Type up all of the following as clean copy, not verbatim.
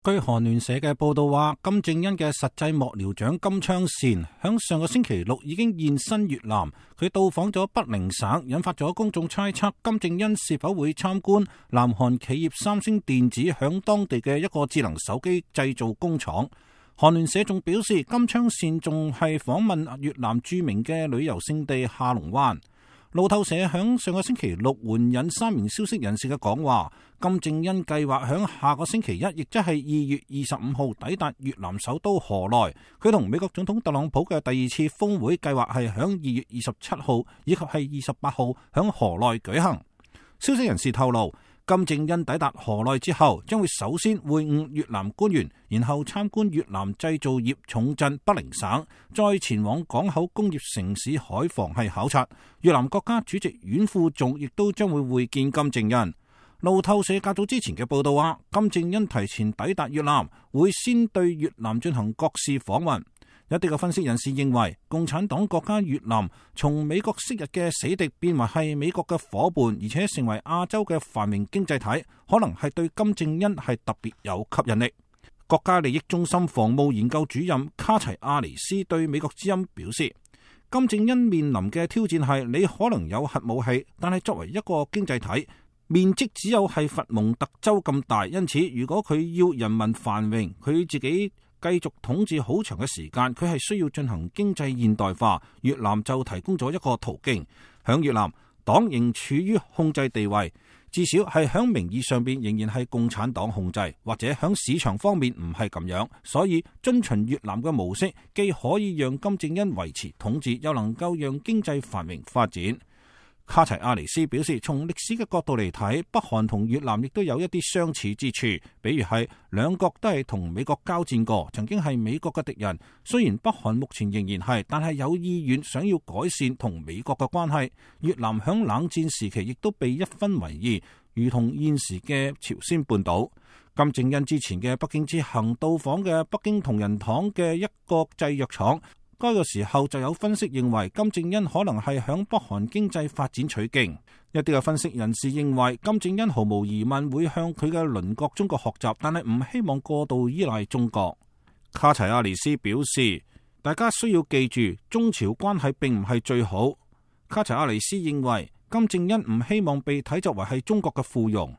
據韓聯社嘅報道話，金正恩嘅實際幕僚長金昌善響上個星期六已經現身越南，佢到訪咗北寧省，引發咗公眾猜測金正恩是否會參觀南韓企業三星電子響當地嘅一個智能手機製造工廠。韓聯社仲表示，金昌善仲係訪問越南著名嘅旅遊勝地下龍灣。路透社響上個星期六援引三名消息人士嘅講話，金正恩計劃響下個星期一，亦即係2月25號抵達越南首都河內。佢同美國總統特朗普嘅第二次峰會計劃係響2月27號以及係28號響河內舉行。消息人士透露，金正恩抵達河內之後，將會首先會晤越南官員，然後參觀越南製造業重鎮北寧省，再前往港口工業城市海防係考察。越南國家主席阮富仲亦都將會會見金正恩。路透社較早之前嘅報道話，金正恩提前抵達越南，會先對越南進行國事訪問。一啲嘅分析人士認為，共產黨國家越南從美國昔日嘅死敵變為係美國嘅夥伴，而且成為亞洲嘅繁榮經濟體，可能係對金正恩係特別有吸引力。國家利益中心防務研究主任卡齊亞尼斯對美國之音表示，金正恩面臨嘅挑戰係你可能有核武器，但係作為一個經濟體，面積只有係佛蒙特州咁大，因此如果佢要人民繁榮，佢自己繼續統治好長嘅時間，佢係需要進行經濟現代化。越南就提供咗一個途徑。響越南，黨仍處於控制地位，至少係響名義上邊仍然係共產黨控制，或者響市場方面唔係咁樣。所以遵循越南嘅模式，既可以讓金正恩維持統治，又能夠讓經濟繁榮發展。卡齊亞尼斯表示，從歷史嘅角度嚟睇，北韓同越南亦都有一啲相似之處，比如係兩國都係同美國交戰過，曾經係美國嘅敵人。雖然北韓目前仍然係，但係有意願想要改善同美國嘅關係。越南響冷戰時期亦都被一分為二，如同現時嘅朝鮮半島。金正恩之前嘅北京之行到訪嘅北京同仁堂嘅一個製藥廠。該個時候就有分析認為，金正恩可能係響北韓經濟發展取經。一啲嘅分析人士認為，金正恩毫無疑問會向佢嘅鄰國中國學習，但係唔希望過度依賴中國。卡齊亞尼斯表示，大家需要記住，中朝關係並唔係最好。卡齊亞尼斯認為，金正恩唔希望被睇作為係中國嘅附庸。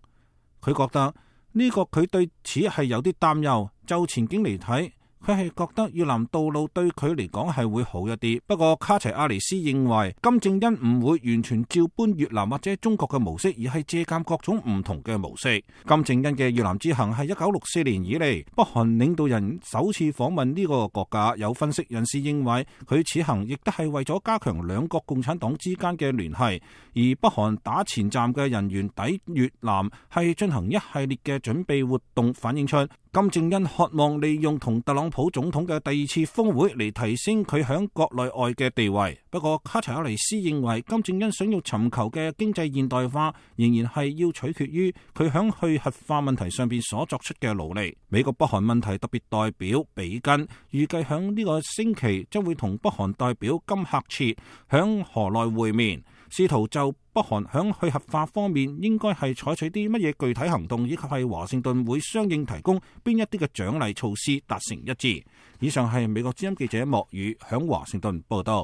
佢覺得呢個佢對此係有啲擔憂。就前景嚟睇，佢係覺得越南道路對佢嚟講係會好一啲，不過卡齊亞尼斯認為金正恩唔會完全照搬越南或者中國嘅模式，而係借鑒各種唔同嘅模式。金正恩嘅越南之行係1964年以嚟北韓領導人首次訪問呢個國家。有分析人士認為，佢此行亦都係為咗加強兩國共產黨之間嘅聯繫，而北韓打前站嘅人員抵越南係進行一系列嘅準備活動，反映出金正恩渴望利用同特朗普總統嘅第二次峰會嚟提升佢響國內外嘅地位。不過卡齊亞尼斯認為，金正恩想要尋求嘅經濟現代化仍然係要取決於佢響去核化問題上邊所作出嘅努力。美國北韓問題特別代表比根預計響呢個星期將會同北韓代表金赫徹響河內會面，試圖就北韓響去核化方面應該係採取啲乜嘢具體行動，以及係華盛頓會相應提供邊一啲嘅獎勵措施達成一致。以上係美國之音記者莫宇響華盛頓報道。